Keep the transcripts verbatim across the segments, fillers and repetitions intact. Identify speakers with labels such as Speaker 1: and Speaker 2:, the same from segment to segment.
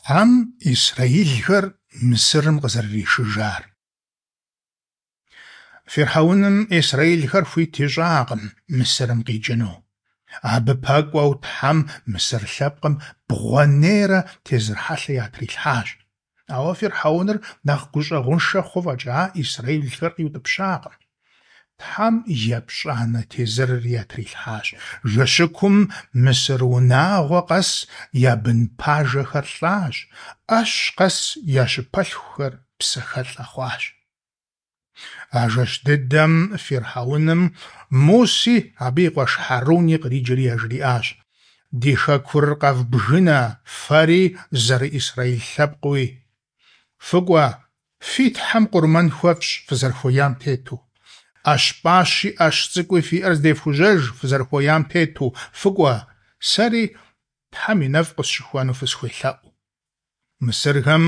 Speaker 1: Тхьэм исрэилхэр Мысырым къызэрыришыжар. Фирхьэуным исрэилхэр хуит ищӀакъым Мысырым къикӀыну. Абы пэкӀуэу Тхьэм мысыр лъэпкъым бгъуэнейрэ тезыр хьэлъэ ятрилъхьащ. Ауэ фирхьэуныр нэхъ гущӀэгъуншэ хъу фӀэкӀа, исрэилхэр къиутӀыпщакъым. Тхьэм епщӀанэ тезырри ятрилъхьащ: жэщыкум мысыр унагъуэ къэс я бын пажэхэр лӀащ, Ӏэщ къэс я щыпэлъхухэр псэхэлӀэ хъуащ. А жэщ дыдэм фирхьэуным Муси абы и къуэш Хьэруни къриджэри яжриӀащ: «Ди хэкур къэвбгынэ фэри зэры-Исраил лъэпкъыуи. ФыкӀуэ, фи Тхьэм къурмэн хуэфщӀ фызэрыхуеям тету. Ӏэщ пӀащи Ӏэщ цӀыкӀуи фиӀэр здефхужьэж фызэрыхуеям тету, фыкӀуэ, сэри Тхьэм и нэфӀ къысщыхуэну фысхуелъэӀу». Мысырхэм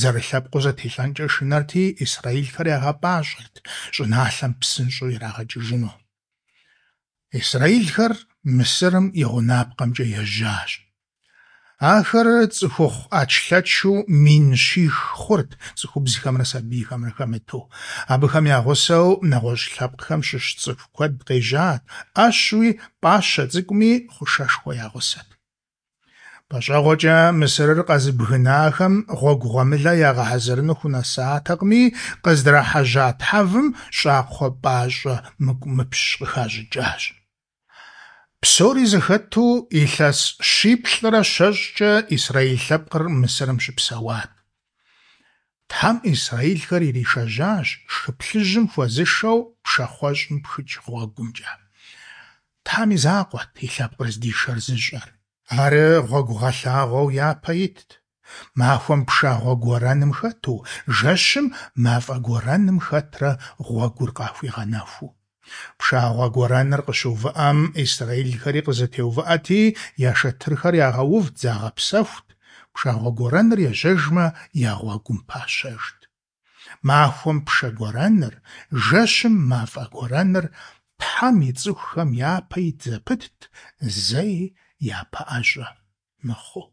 Speaker 1: зэрылъэпкъыу зэтелӀэнкӀэ шынэрти, исрэилхэр ягъэпӀащӀэрт щӀыналъэм псынщӀэу ирагъэкӀыжыну. Исрэилхэр Мысырым и гъунапкъэмкӀэ ежьащ. Ахэр цӀыхухъу Ӏэчлъэчу мин щих хъурт, цӀыхубзхэмрэ сабийхэмрэ хэмыту. Абыхэм я гъусэу нэгъуэщӀ лъэпкъхэм щыщ цӀыху куэд къежьат, Ӏэщуи пӀащэ цӀыкӀуми хъушэшхуэ я гъусэт. ПӀэщӀэгъуэкӀэ Мысырыр къэзыбгынахэм гъуэгу гъуэмылэ ягъэхьэзырыну хунэсатэкъыми, къыздрахьэжьа тхьэвым щӀакхъуэ пӀащӀэ мыкӀумыпщ къыхащӀыкӀащ. Псори зэхэту илъэс щиплӀрэ щэщӀкӀэ исрэил лъэпкъыр Мысырым щыпсэуат. Тхьэм исрэилхэр иришэжьащ Хы Плъыжьым хуэзышэу пшахъуэщӀым пхыкӀ гъуэгумкӀэ. Тхьэм и закъуэт и лъэпкъыр здишэр зыщӀэр. Ар гъуэгугъэлъагъуэу япэ итт. Махуэм пшагъуэ гуэрэным хэту, жэщым мафӀэ гуэрэным хэтрэ гъуэгур къахуигъэнэхуу. Пшагъуэ гуэрэныр къыщыувыӀэм исрэилхэри къызэтеувыӀэти, я шэтырхэр ягъэувт, загъэпсэхут, пшагъуэ гуэрэныр ежьэжмэ, я гъуэгум пащэжт. Махуэм пшэ гуэрэныр, жэщым мафӀэ гуэрэныр Тхьэм и цӀыхухэм япэ ит зэпытт, зэи япэӀэщӀэ мыхъуу.